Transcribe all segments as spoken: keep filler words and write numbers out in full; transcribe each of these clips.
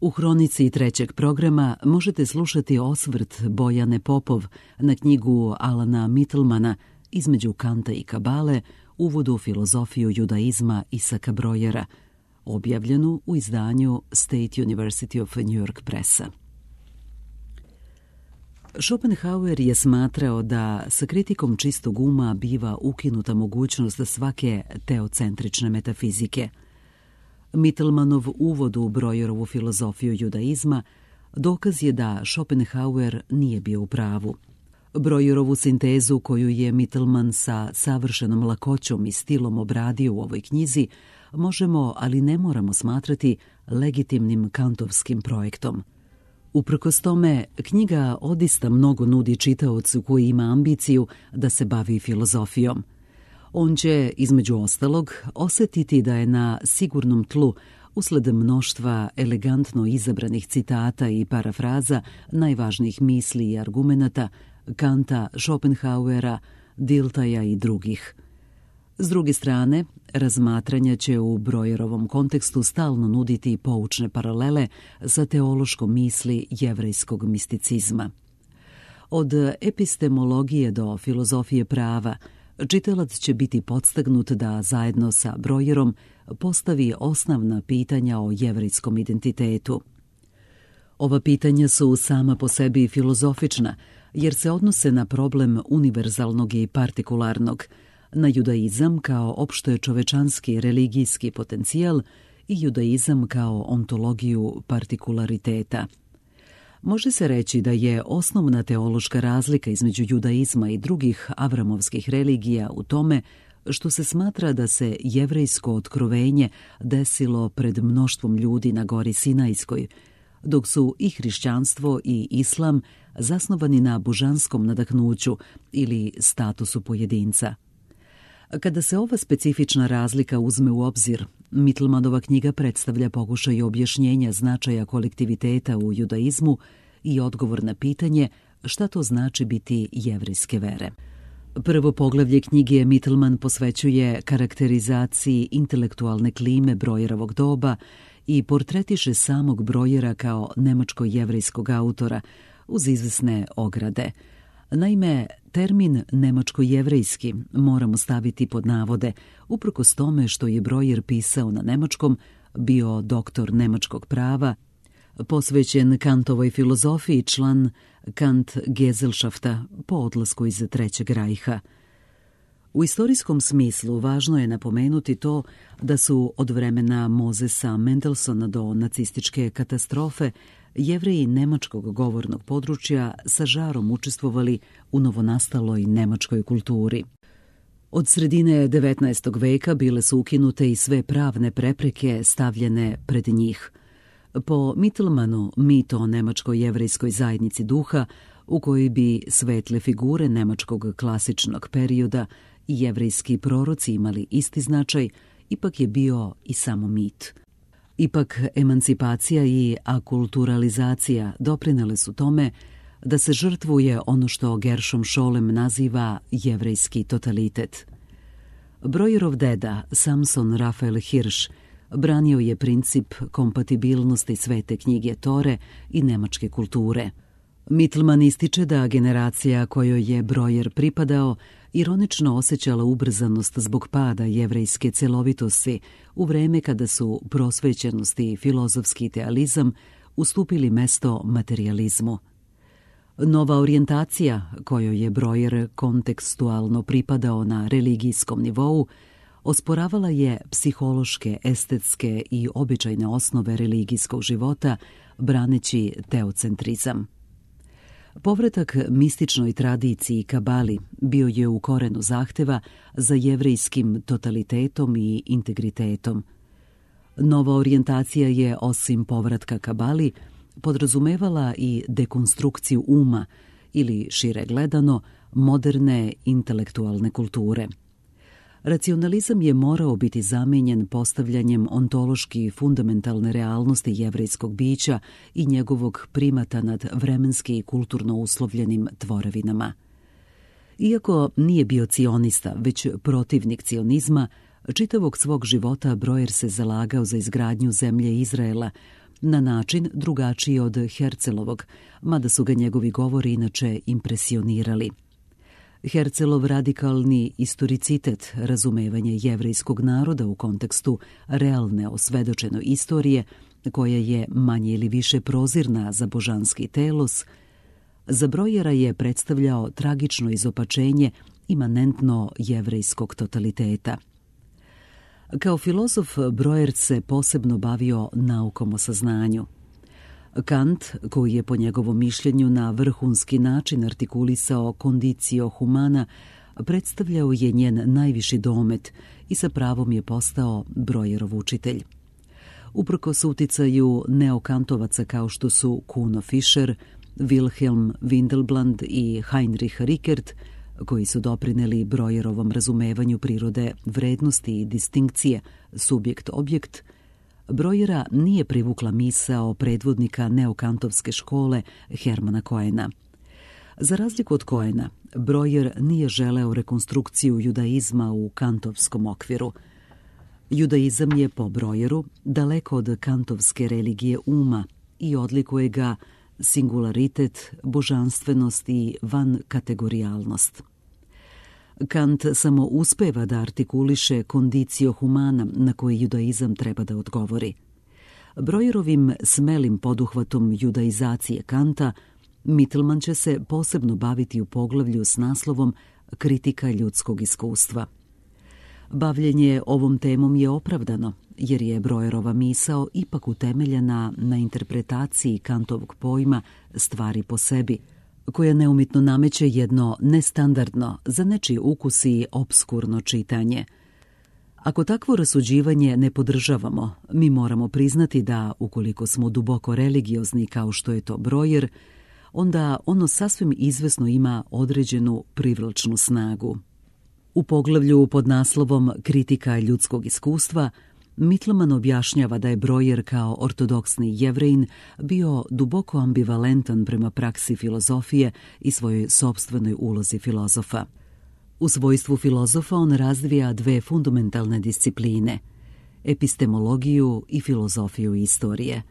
U hronici trećeg programa možete slušati osvrt Bojane Popov na knjigu Alana Mittelmana Između Kanta i Kabale, uvod u filozofiju judaizma Isaka Brojera, objavljenu u izdanju State University of New York Pressa. Schopenhauer je smatrao da sa kritikom čistog uma biva ukinuta mogućnost svake teocentrične metafizike. Mittelmanov uvod u Brojerovu filozofiju judaizma dokaz je da Schopenhauer nije bio u pravu. Brojerovu sintezu koju je Mittelman sa savršenom lakoćom i stilom obradio u ovoj knjizi možemo, ali ne moramo smatrati legitimnim kantovskim projektom. Uprkos tome, knjiga odista mnogo nudi čitaocu koji ima ambiciju da se bavi filozofijom. On će, između ostalog, osjetiti da je na sigurnom tlu, usled mnoštva elegantno izabranih citata i parafraza najvažnijih misli i argumenata Kanta, Schopenhauera, Diltaja i drugih. S druge strane, razmatranja će u Brojerovom kontekstu stalno nuditi poučne paralele sa teološkom misli jevrejskog misticizma. Od epistemologije do filozofije prava, čitalac će biti podstagnut da zajedno sa Brojerom postavi osnovna pitanja o jevrejskom identitetu. Ova pitanja su sama po sebi filozofična, jer se odnose na problem univerzalnog i partikularnog, na judaizam kao opšte čovečanski religijski potencijal i judaizam kao ontologiju partikulariteta. Može se reći da je osnovna teološka razlika između judaizma i drugih avramovskih religija u tome što se smatra da se jevrejsko otkrovenje desilo pred mnoštvom ljudi na gori Sinajskoj, dok su i hrišćanstvo i islam zasnovani na božanskom nadahnuću ili statusu pojedinca. Kada se ova specifična razlika uzme u obzir, Mittelmanova knjiga predstavlja pokušaj objašnjenja značaja kolektiviteta u judaizmu i odgovor na pitanje šta to znači biti jevrejske vere. Prvo poglavlje knjige Mittelman posvećuje karakterizaciji intelektualne klime Brojerovog doba i portretiše samog Brojera kao nemačko-jevrejskog autora uz izvesne ograde. Naime, termin nemačko-jevrejski moramo staviti pod navode, uprkos tome što je Brojer pisao na nemačkom, bio doktor nemačkog prava, posvećen Kantovoj filozofiji, član Kant Gesellschafta po odlasku iz Trećeg rajha. U istorijskom smislu važno je napomenuti to da su od vremena Mozesa Mendelssohna do nacističke katastrofe Jevreji nemačkog govornog područja sa žarom učestvovali u novonastaloj nemačkoj kulturi. Od sredine devetnaestog veka bile su ukinute i sve pravne prepreke stavljene pred njih. Po Mittelmanu, mit o nemačko-jevrejskoj zajednici duha, u kojoj bi svetle figure nemačkog klasičnog perioda i jevrejski proroci imali isti značaj, ipak je bio i samo mit. Ipak, emancipacija i akulturalizacija doprinele su tome da se žrtvuje ono što Gershom Scholem naziva jevrejski totalitet. Brojerov deda, Samson Rafael Hirsch, branio je princip kompatibilnosti svete knjige Tore i nemačke kulture. Mittelman ističe da generacija kojoj je Brojer pripadao ironično osjećala ubrzanost zbog pada jevrejske celovitosti u vreme kada su prosvećenost i filozofski idealizam ustupili mesto materijalizmu. Nova orijentacija kojoj je Brojer kontekstualno pripadao na religijskom nivou osporavala je psihološke, estetske i običajne osnove religijskog života, braneći teocentrizam. Povratak mističnoj tradiciji Kabali bio je u korenu zahteva za jevrejskim totalitetom i integritetom. Nova orijentacija je, osim povratka Kabali, podrazumevala i dekonstrukciju uma ili, šire gledano, moderne intelektualne kulture. Racionalizam je morao biti zamenjen postavljanjem ontološki fundamentalne realnosti jevrejskog bića i njegovog primata nad vremenski i kulturno uslovljenim tvorevinama. Iako nije bio cionista, već protivnik cionizma, čitavog svog života Brojer se zalagao za izgradnju zemlje Izraela na način drugačiji od Hercelovog, mada su ga njegovi govori inače impresionirali. Hercelov radikalni istoricitet, razumevanje jevrejskog naroda u kontekstu realne osvedočene istorije, koja je manje ili više prozirna za božanski telos, za Brojera je predstavljao tragično izopačenje imanentno jevrejskog totaliteta. Kao filozof, Brojer se posebno bavio naukom o saznanju. Kant, koji je po njegovom mišljenju na vrhunski način artikulisao condicio humana, predstavljao je njen najviši domet i sa pravom je postao Brojerov učitelj. Uprkos uticaju neokantovaca kao što su Kuno Fischer, Wilhelm Windelband i Heinrich Rickert, koji su doprineli Brojerovom razumevanju prirode vrednosti i distinkcije subjekt-objekt, Brojera nije privukla misao predvodnika neokantovske škole Hermana Koena. Za razliku od Koena, Brojer nije želeo rekonstrukciju judaizma u kantovskom okviru. Judaizam je po Brojeru daleko od kantovske religije uma i odlikuje ga singularitet, božanstvenost i vankategorijalnost. Kant samo uspeva da artikuliše condicio humana na koji judaizam treba da odgovori. Brojerovim smelim poduhvatom judaizacije Kanta Mittelman će se posebno baviti u poglavlju s naslovom Kritika ljudskog iskustva. Bavljenje ovom temom je opravdano, jer je Brojerova misao ipak utemeljena na interpretaciji Kantovog pojma stvari po sebi, koja neumitno nameće jedno nestandardno, za nečiji ukus i obskurno čitanje. Ako takvo rasuđivanje ne podržavamo, mi moramo priznati da, ukoliko smo duboko religiozni kao što je to Brojer, onda ono sasvim izvesno ima određenu privlačnu snagu. U poglavlju pod naslovom Kritika ljudskog iskustva, Mittelman objašnjava da je Brojer kao ortodoksni Jevrejin bio duboko ambivalentan prema praksi filozofije i svojoj sopstvenoj ulozi filozofa. U svojstvu filozofa on razvija dve fundamentalne discipline – epistemologiju i filozofiju istorije.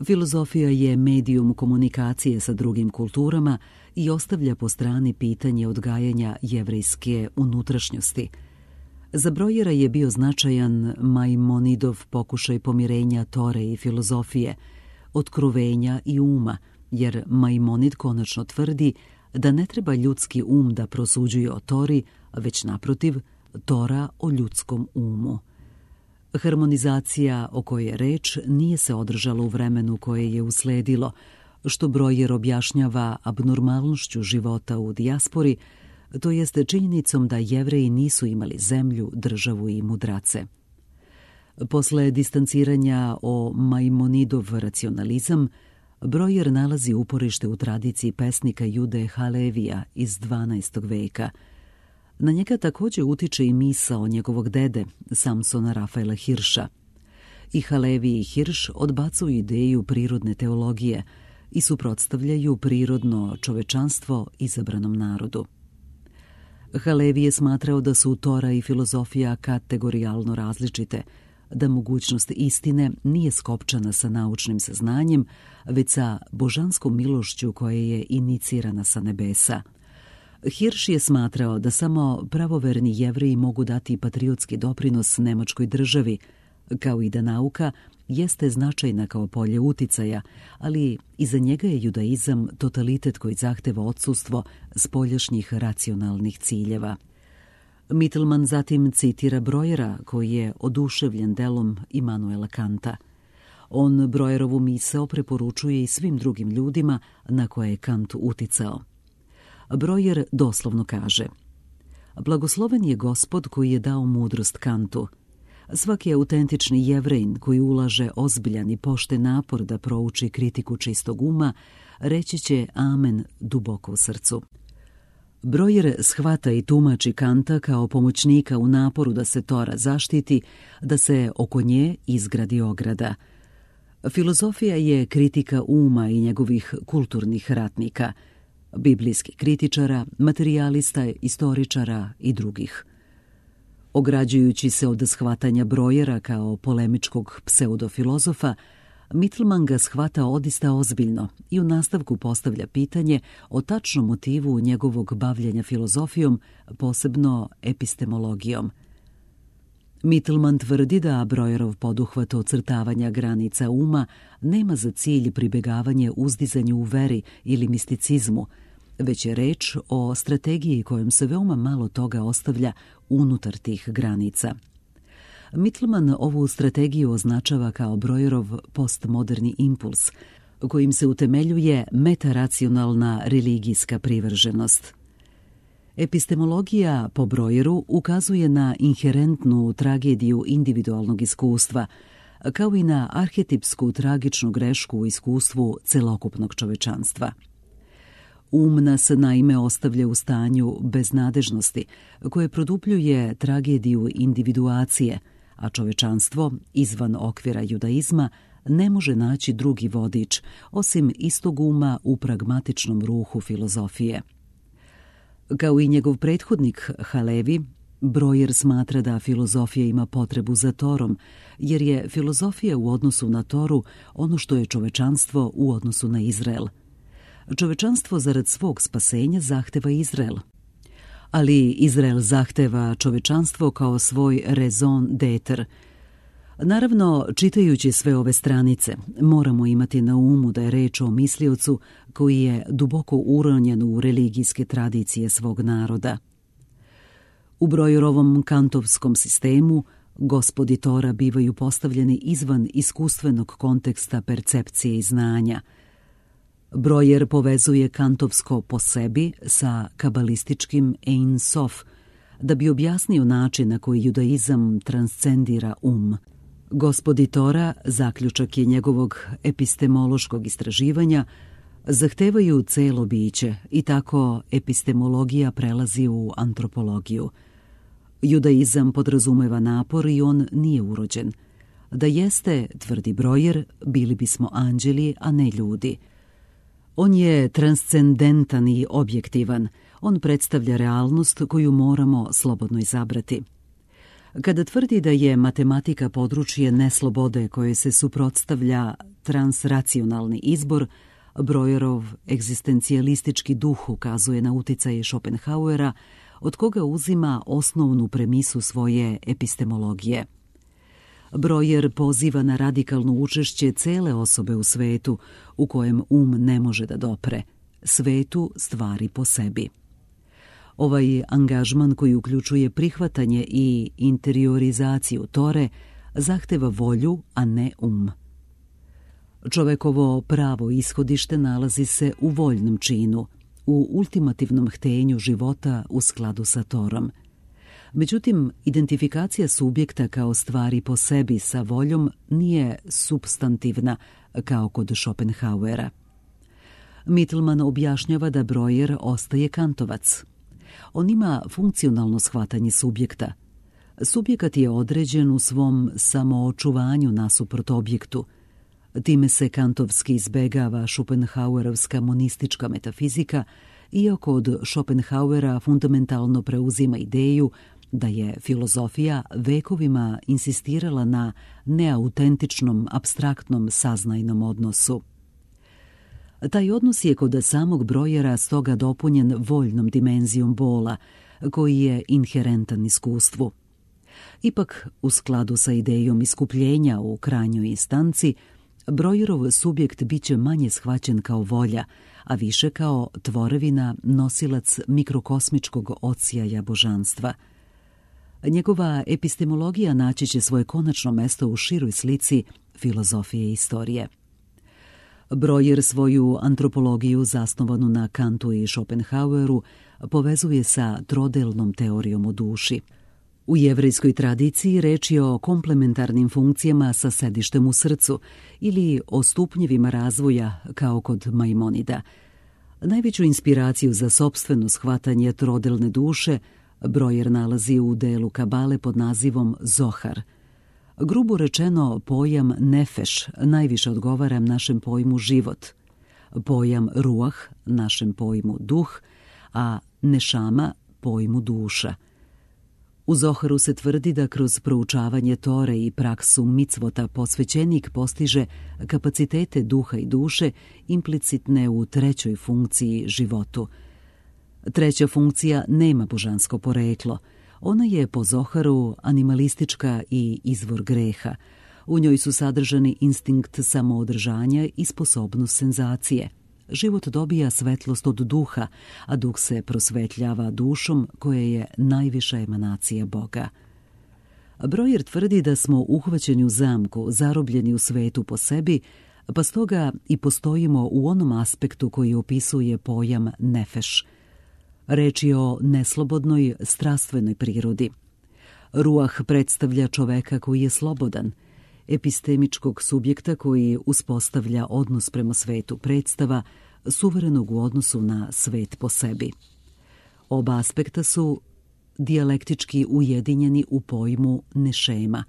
Filozofija je medijum komunikacije sa drugim kulturama i ostavlja po strani pitanje odgajanja jevrejske unutrašnjosti. Za Brojera je bio značajan Maimonidov pokušaj pomirenja Tore i filozofije, otkrovenja i uma, jer Maimonid konačno tvrdi da ne treba ljudski um da prosuđuje o Tori, već naprotiv, Tora o ljudskom umu. Harmonizacija o kojoj je reč nije se održala u vremenu koje je usledilo, što Brojer objašnjava abnormalnošću života u dijaspori, to jeste činjenicom da Jevreji nisu imali zemlju, državu i mudrace. Posle distanciranja o Maimonidov racionalizam, Brojer nalazi uporište u tradiciji pesnika Jude Halevija iz dvanaestog veka. Na njega također utiče i misao njegovog dede, Samsona Rafaela Hirša. I Halevi i Hirš odbacuju ideju prirodne teologije i suprotstavljaju prirodno čovečanstvo izabranom narodu. Halevi je smatrao da su Tora i filozofija kategorijalno različite, da mogućnost istine nije skopčana sa naučnim saznanjem, već sa božanskom milošću koja je inicirana sa nebesa. Hirš je smatrao da samo pravoverni Jevreji mogu dati patriotski doprinos nemačkoj državi, kao i da nauka jeste značajna kao polje uticaja, ali iza njega je judaizam totalitet koji zahteva odsustvo spoljašnjih racionalnih ciljeva. Mittelman zatim citira Brojera, koji je oduševljen delom Immanuela Kanta. On Brojerovu misao preporučuje i svim drugim ljudima na koje je Kant uticao. Brojer doslovno kaže: Blagosloven je Gospod koji je dao mudrost Kantu. Svaki autentični Jevrejin koji ulaže ozbiljan i pošten napor da prouči kritiku čistog uma, reći će amen duboko u srcu. Brojer shvata i tumači Kanta kao pomoćnika u naporu da se Tora zaštiti, da se oko nje izgradi ograda. Filozofija je kritika uma i njegovih kulturnih ratnika, biblijskih kritičara, materijalista, istoričara i drugih. Ograđujući se od shvatanja Brojera kao polemičkog pseudofilozofa, Mittelman ga shvata odista ozbiljno i u nastavku postavlja pitanje o tačnom motivu njegovog bavljenja filozofijom, posebno epistemologijom. Mittelman tvrdi da Breuerov poduhvat ocrtavanja granica uma nema za cilj pribegavanje uzdizanju u veri ili misticizmu, već je reč o strategiji kojom se veoma malo toga ostavlja unutar tih granica. Mittelman ovu strategiju označava kao Breuerov postmoderni impuls, kojim se utemeljuje metaracionalna religijska privrženost. Epistemologija po Breueru ukazuje na inherentnu tragediju individualnog iskustva, kao i na arhetipsku tragičnu grešku u iskustvu celokupnog čovečanstva. Um nas naime ostavlja u stanju beznadežnosti, koje produbljuje tragediju individuacije, a čovečanstvo, izvan okvira judaizma, ne može naći drugi vodič, osim istog uma u pragmatičnom ruhu filozofije. Kao i njegov prethodnik Halevi, Breuer smatra da filozofija ima potrebu za Torom, jer je filozofija u odnosu na Toru ono što je čovečanstvo u odnosu na Izrael. Čovečanstvo zarad svog spasenja zahteva Izrael, ali Izrael zahteva čovečanstvo kao svoj raison d'être. Naravno, čitajući sve ove stranice, moramo imati na umu da je reč o misliocu koji je duboko uronjen u religijske tradicije svog naroda. U Breuerovom kantovskom sistemu gospodi Tora bivaju postavljeni izvan iskustvenog konteksta percepcije i znanja. Breuer povezuje kantovsko po sebi sa kabalističkim Ein Sof, da bi objasnio način na koji judaizam transcendira um. Gospodi Tora, zaključak je njegovog epistemološkog istraživanja, zahtevaju celo biće i tako epistemologija prelazi u antropologiju. Judaizam podrazumeva napor i on nije urođen. Da jeste, tvrdi Breuer, bili bismo anđeli, a ne ljudi. On je transcendentan i objektivan. On predstavlja realnost koju moramo slobodno izabrati. Kada tvrdi da je matematika područje neslobode koje se suprotstavlja transracionalni izbor, Breuerov egzistencijalistički duh ukazuje na uticaje Schopenhauera, od koga uzima osnovnu premisu svoje epistemologije. Breuer poziva na radikalno učešće cele osobe u svetu u kojem um ne može da dopre, svetu stvari po sebi. Ovaj angažman koji uključuje prihvatanje i interiorizaciju Tore zahteva volju, a ne um. Čovekovo pravo ishodište nalazi se u voljnom činu, u ultimativnom htenju života u skladu sa Torom. Međutim, identifikacija subjekta kao stvari po sebi sa voljom nije supstantivna kao kod Schopenhauera. Mittelman objašnjava da Breuer ostaje kantovac. On ima funkcionalno shvatanje subjekta. Subjekat je određen u svom samoočuvanju nasuprot objektu. Time se kantovski izbegava Schopenhauerovska monistička metafizika, iako od Schopenhauera fundamentalno preuzima ideju da je filozofija vekovima insistirala na neautentičnom, apstraktnom saznajnom odnosu. Taj odnos je kod samog Breuera stoga dopunjen voljnom dimenzijom bola, koji je inherentan iskustvu. Ipak, u skladu sa idejom iskupljenja u krajnjoj instanci, Breuerov subjekt biće manje shvaćen kao volja, a više kao tvorevina, nosilac mikrokosmičkog odsjaja božanstva. Njegova epistemologija naći će svoje konačno mesto u široj slici filozofije i istorije. Breuer svoju antropologiju zasnovanu na Kantu i Schopenhaueru povezuje sa trodelnom teorijom o duši. U jevrejskoj tradiciji reč je o komplementarnim funkcijama sa sedištem u srcu ili o stupnjevima razvoja kao kod Maimonida. Najveću inspiraciju za sopstveno shvatanje trodelne duše Breuer nalazi u delu Kabale pod nazivom Zohar. Grubo rečeno, pojam nefeš najviše odgovara našem pojmu život, pojam ruah našem pojmu duh, a nešama pojmu duša. U Zoharu se tvrdi da kroz proučavanje Tore i praksu micvota posvećenik postiže kapacitete duha i duše implicitne u trećoj funkciji životu. Treća funkcija nema božansko poreklo. Ona je po Zoharu animalistička i izvor greha. U njoj su sadržani instinkt samoodržanja i sposobnost senzacije. Život dobija svetlost od duha, a duh se prosvetljava dušom koja je najviša emanacija Boga. Brojer tvrdi da smo uhvaćeni u zamku, zarobljeni u svetu po sebi, pa stoga i postojimo u onom aspektu koji opisuje pojam nefeš. Reč je o neslobodnoj, strastvenoj prirodi. Ruah predstavlja čoveka koji je slobodan, epistemičkog subjekta koji uspostavlja odnos prema svetu predstava, suverenog u odnosu na svet po sebi. Oba aspekta su dijalektički ujedinjeni u pojmu nešema.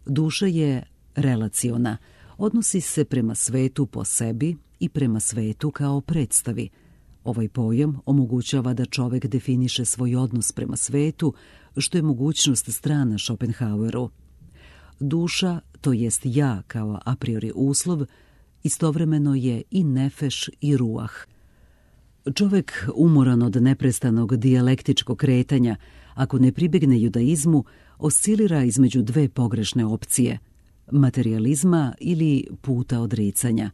Duša je relaciona, odnosi se prema svetu po sebi i prema svetu kao predstavi. Ovaj pojam omogućava da čovek definiše svoj odnos prema svetu, što je mogućnost strana Schopenhaueru. Duša, to jest ja kao a priori uslov, istovremeno je i nefeš i ruah. Čovek umoran od neprestanog dijalektičkog kretanja, ako ne pribegne judaizmu, oscilira između dve pogrešne opcije, materijalizma ili puta odricanja.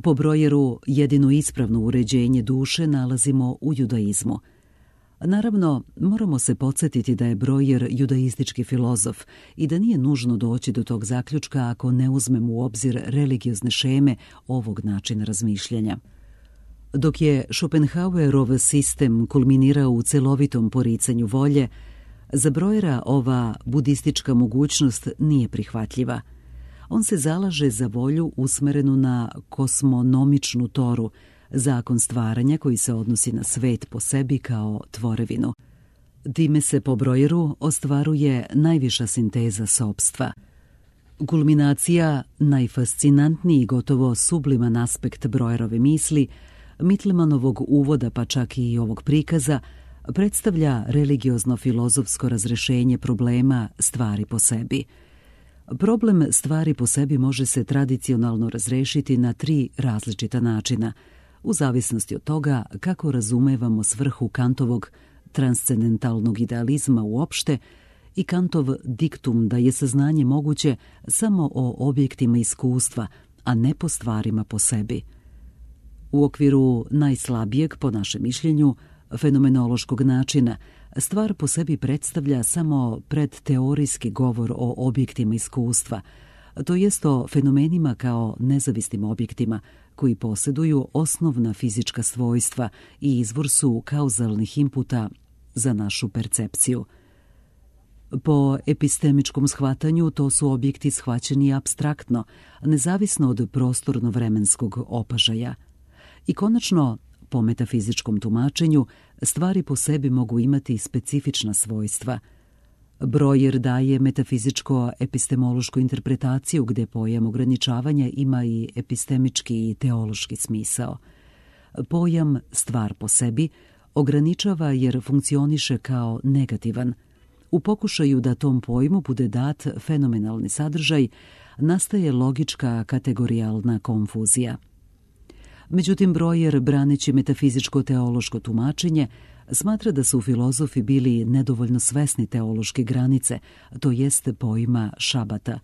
Po Brojeru jedino ispravno uređenje duše nalazimo u judaizmu. Naravno, moramo se podsjetiti da je Brojer judaistički filozof i da nije nužno doći do tog zaključka ako ne uzmemo u obzir religiozne šeme ovog načina razmišljanja. Dok je Schopenhauerov sistem kulminirao u celovitom poricanju volje, za Brojera ova budistička mogućnost nije prihvatljiva. On se zalaže za volju usmerenu na kosmonomičnu Toru, zakon stvaranja koji se odnosi na svet po sebi kao tvorevinu. Time se po Brojeru ostvaruje najviša sinteza sopstva. Kulminacija, najfascinantniji gotovo subliman aspekt Brojerove misli, Mitlemanovog uvoda pa čak i ovog prikaza, predstavlja religiozno-filozofsko razrešenje problema stvari po sebi. Problem stvari po sebi može se tradicionalno razrešiti na tri različita načina, u zavisnosti od toga kako razumevamo svrhu Kantovog transcendentalnog idealizma uopšte i Kantov diktum da je saznanje moguće samo o objektima iskustva, a ne po stvarima po sebi. U okviru najslabijeg, po našem mišljenju, fenomenološkog načina, stvar po sebi predstavlja samo predteorijski govor o objektima iskustva, to jest o fenomenima kao nezavisnim objektima koji posjeduju osnovna fizička svojstva i izvor su kauzalnih inputa za našu percepciju. Po epistemičkom shvatanju to su objekti shvaćeni apstraktno, nezavisno od prostorno-vremenskog opažaja. I konačno, po metafizičkom tumačenju, stvari po sebi mogu imati specifična svojstva. Brojer daje metafizičko-epistemološku interpretaciju gdje pojam ograničavanja ima i epistemički i teološki smisao. Pojam stvar po sebi ograničava jer funkcioniše kao negativan. U pokušaju da tom pojmu bude dat fenomenalni sadržaj, nastaje logička kategorijalna konfuzija. Međutim, Brojer, braneći metafizičko-teološko tumačenje, smatra da su filozofi bili nedovoljno svesni teološke granice, to jest pojma šabata.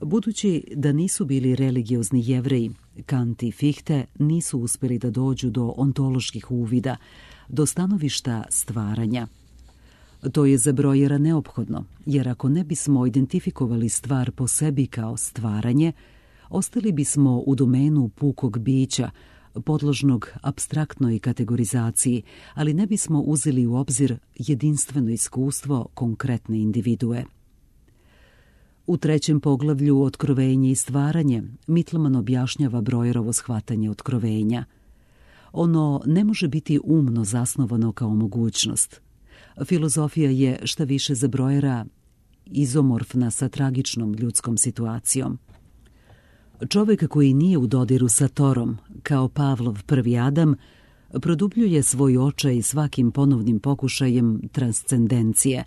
Budući da nisu bili religiozni Jevreji, Kant i Fichte nisu uspjeli da dođu do ontoloških uvida, do stanovišta stvaranja. To je za Brojera neophodno, jer ako ne bismo identifikovali stvar po sebi kao stvaranje, ostali bismo u domenu pukog bića, podložnog apstraktnoj kategorizaciji, ali ne bismo uzeli u obzir jedinstveno iskustvo konkretne individue. U trećem poglavlju Otkrovenje i stvaranje Mittelman objašnjava Brojerovo shvatanje otkrovenja. Ono ne može biti umno zasnovano kao mogućnost. Filozofija je šta više za Brojera izomorfna sa tragičnom ljudskom situacijom. Čovjek koji nije u dodiru sa Torom, kao Pavlov prvi Adam, produbljuje svoj očaj svakim ponovnim pokušajem transcendencije,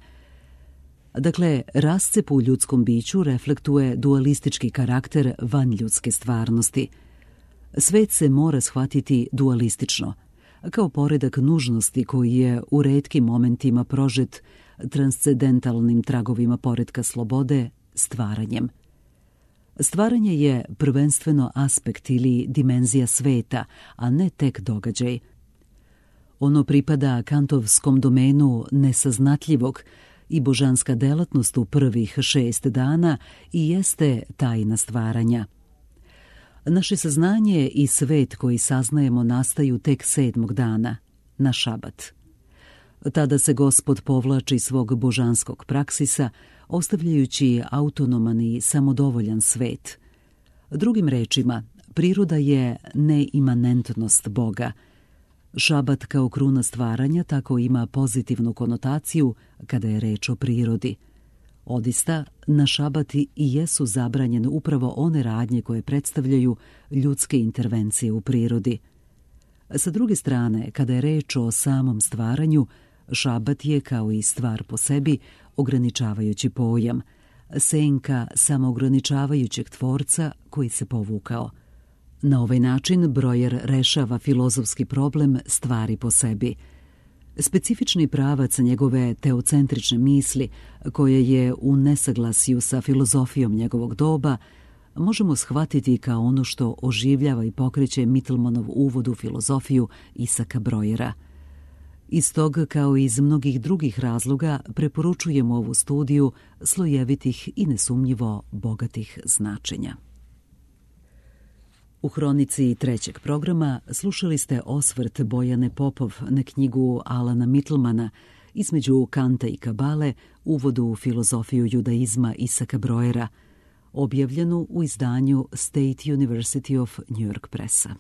Dakle, rascep u ljudskom biću reflektuje dualistički karakter vanljudske stvarnosti. Svet se mora shvatiti dualistično, kao poredak nužnosti koji je u retkim momentima prožet transcendentalnim tragovima poretka slobode, stvaranjem. Stvaranje je prvenstveno aspekt ili dimenzija sveta, a ne tek događaj. Ono pripada kantovskom domenu nesaznatljivog i božanska delatnost u prvih šest dana i jeste tajna stvaranja. Naše saznanje i svet koji saznajemo nastaju tek sedmog dana, na šabat. Tada se Gospod povlači svog božanskog praksisa, ostavljajući autonoman i samodovoljan svet. Drugim rečima, priroda je neimanentnost Boga. Šabat kao kruna stvaranja tako ima pozitivnu konotaciju kada je reč o prirodi. Odista, na šabati i jesu zabranjene upravo one radnje koje predstavljaju ljudske intervencije u prirodi. Sa druge strane, kada je reč o samom stvaranju, šabat je, kao i stvar po sebi, ograničavajući pojam, senka samoograničavajućeg tvorca koji se povukao. Na ovaj način Breuer rešava filozofski problem stvari po sebi. Specifični pravac njegove teocentrične misli, koje je u nesaglasju sa filozofijom njegovog doba, možemo shvatiti kao ono što oživljava i pokreće Mittelmannov uvod u filozofiju Isaaca Breuera. Iz tog, kao i iz mnogih drugih razloga, preporučujemo ovu studiju slojevitih i nesumnjivo bogatih značenja. U hronici trećeg programa slušali ste osvrt Bojane Popov na knjigu Alana Mittelmana Između Kanta i Kabale, uvodu u filozofiju judaizma Isaaca Breuera, objavljenu u izdanju State University of New York Pressa.